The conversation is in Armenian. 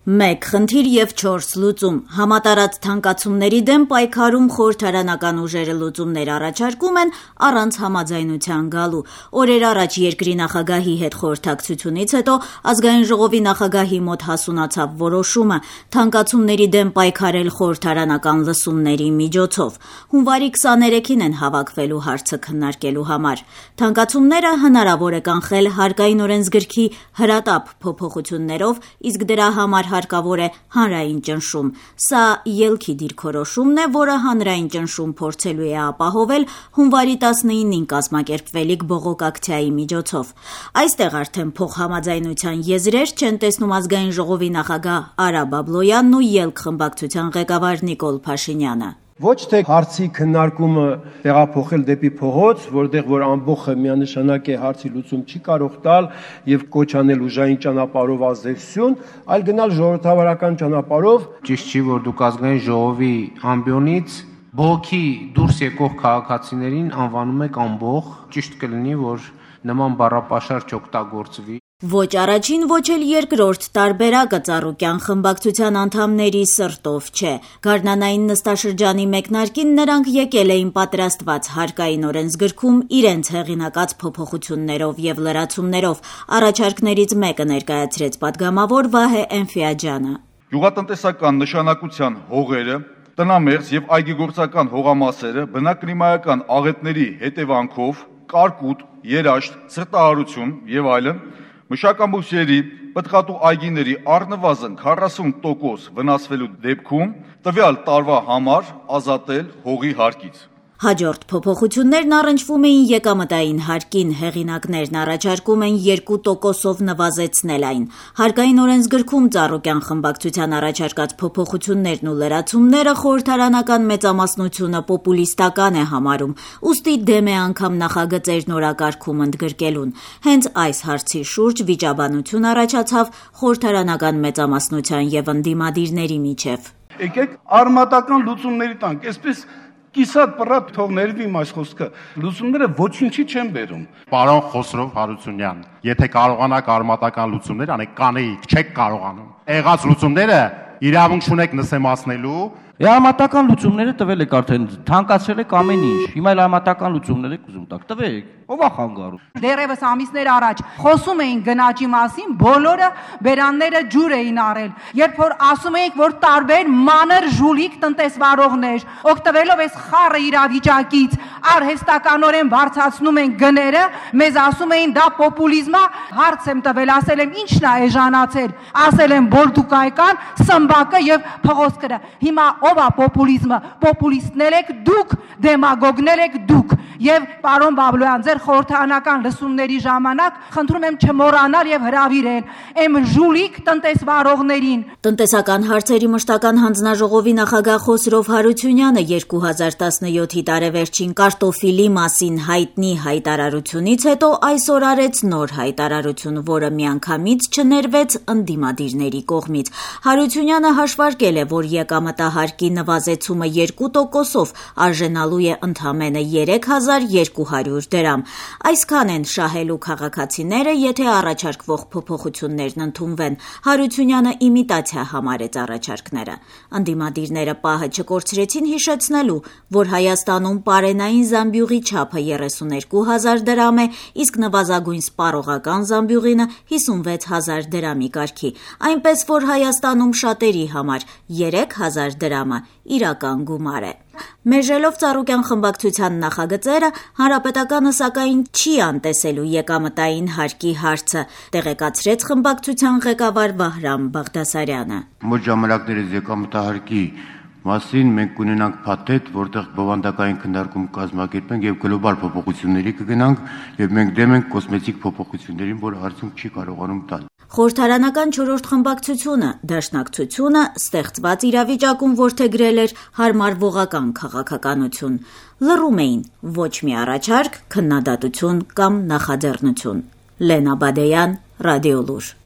1 խնդիր եւ 4 լուծում։ Համատարած թանկացումների դեմ պայքարում խորհրդարանական ուժերը լուծումներ առաջարկում են առանց համաձայնության գալու։ Օրեր առաջ երկրի նախագահի հետ խորհրդակցությունից հետո ազգային ժողովի նախագահի մոտ հասունացավ որոշումը թանկացումների դեմ պայքարել խորհրդարանական լսումների միջոցով։ Հունվարի 23-ին են հավաքվելու հարցը քննարկելու համար։ Թանկացումները հնարավոր է կանխել հարկային օրենսգրքի հրատապ փոփոխություններով, իսկ դրա համար հարկավոր է հանրային ճնշում։ Սա ելքի դիրքորոշումն է, որը հանրային ճնշում փորձելու է ապահովել հունվարի 19-ին կազմակերպվելիք բողոքակցիայի միջոցով։ Այստեղ արդեն փոխհամաձայնության եզրեր չեն տեսնում ազգային ժողովի նախագահ Արա Բաբլոյանն ու ելք խմբակցության ղեկավար Նիկոլ Փաշինյանը։ Ոչ թե հարցի քննարկումը տեղափոխել դեպի փողոց, որտեղ որ ամբողջը միանշանակ է հարցի լուծում չի կարող տալ եւ կոչ անել ուժային ճանապարհով ազդեցություն, այլ գնալ ժողովրդավարական ճանապարհով։ Ճիշտ չի, որ դուք ազգային ժողովի ամբիոնից բողոքի դուրս եկող քաղաքացիներին անվանում եք ամբողջ, ճիշտ կլինի, որ նման բառապաշար չօգտագործվի։ Ոչ առաջին, ոչ էլ երկրորդ տարբերակը Ծառուկյան խմբակցության անդամների սրտով չէ։ Գարնանային նստաշրջանի մեկնարկին նրանք եկել էին պատրաստված հարկային օրենսգրքում իրենց հեղինակած փոփոխություններով եւ լրացումներով։ Առաջարկներից մեկը ներկայացրեց падգամավոր Վահե Էնֆիաջյանը։ Գյուղատնտեսական նշանակության հողերը, տնամերձ եւ այգեգործական հողամասերը բնակլիմայական աղետների հետևանքով կարկուտ, երաշտ, սրտահարություն եւ այլն մշակաբույսերի, պտղատու այգիների առնվազն 40% վնասվելու դեպքում տվյալ տարվա համար ազատել հողի հարկից։ Հաջորդ փոփոխություններն առնչվում էին եկամտային հարկին, հեղինակներն առաջարկում են 2%-ով նվազեցնել այն։ Հարկային օրենսգրքում Ծառուկյան խմբակցության առաջարկած փոփոխություններն ու լրացումները խորհրդարանական մեծամասնությունը պոպուլիստական է համարում, ուստի դեմ է անգամ նախագծերն օրակարգում ընդգրկելուն։ Հենց այս հարցի շուրջ վիճաբանություն առաջացավ խորհրդարանական մեծամասնության եւ ընդդիմադիրների միջեւ։ Եկեք արմատական լուծումների տանք, այսպես Կիսատ պռատ թող ներվի իմ այս խոսքը, լուծումները ոչինչի չեն բերում։ Պարոն Խոսրով Հարությունյան, եթե կարողանաք արմատական լուծումներ անեք, կանեիք, չեք կարողանում։ Եղած լուծումները իրավունք չունեք նսեմացնելու։ Արմատական լուծումները տվել եք արդեն, թանկացրել եք ամեն ինչ։ Հիմա էլ արմատական լուծումներ եք ուզում տաք, տվեք։ Ո՞վ է խանգարում։ Դեռևս ամիսներ առաջ խոսում էին գնաճի մասին, բոլորը բերանները ջուր էին առել։ Երբ որ ասում էինք, որ տարբեր մանր ժուլիկ տնտեսվարողներ, օգտվելով այս խառը իրավիճակից, արհեստականորեն բարձրացնում են գները, մեզ ասում էին դա պոպուլիզմ է, հարց եմ տվել, ասել եմ ի՞նչն է էժանացել, ասել եմ բոլդուկայական, սմբակը եւ փղոսկրը։ Հիմա ով է պոպուլիզմը, պոպուլիստներ եք դուք, դեմագոգներ եք դուք։ Եվ պարոն Բաբլոյան, ձեր խորհրդարանական լսումների ժամանակ խնդրում եմ չմոռանալ եւ հրավիրել այն ժուլիկ տնտեսվարողներին։ Տնտեսական հարցերի մշտական հանձնաժողովի նախագահ Խոսրով Հարությունյանը 2017-ի տարեվերջին կարտոֆիլի մասին հայտնի հայտարարությունից հետո այսօր արեց նոր հայտարարություն, որը միանգամից չներվեց ընդդիմադիրների կողմից։ Հարությունյանը հաշվարկել է, որ եկամտահարկի նվազեցումը 2%-ով արժենալու է ընդամենը 3200 դրամ։ Այսքան են շահելու քաղաքացիները, եթե առաջարկվող փոփոխություններն ընդունվեն։ Հարությունյանը իմիտացիա համարեց առաջարկները։ Ընդդիմադիրները պահը չկորցրեցին հիշեցնելու, որ Հայաստանում պարենային զամբյուղի չափը 32,000 դրամ է, իսկ նվազագույն սպառողական զամբյուղինը 56,000 դրամի կարգի։ Այնպես որ Հայաստանում շատերի համար 3000 դրամը իրական գումար է։ Մեժելով Ծառուկյան խմբակցության նախագծերը, Հանրապետականը սակայն չի անտեսելու եկամտային հարկի հարցը, տեղեկացրեց խմբակցության ղեկավար Վահրամ Բաղդասարյանը։ Մոտ ժամանակներս եկամտահարկի մասին մենք կունենանք փաթեթ, որտեղ բովանդակային քննարկում կազմակերպենք եւ գլոբալ փոփոխությունների կգնանք եւ մենք դեմ ենք կոսմետիկ փոփոխություններին, որ արդյունք չի կարողանում տալ։ Խորհրդարանական 4-րդ խմբակցությունը, Դաշնակցությունը ստեղծված իրավիճակում որդեգրել էր հարմարվողական քաղաքականություն։ Լռում էին ոչ մի առաջարկ, քննադատություն կամ նախաձեռնություն։ Լենա Բադեյան, Ռադիոլուր։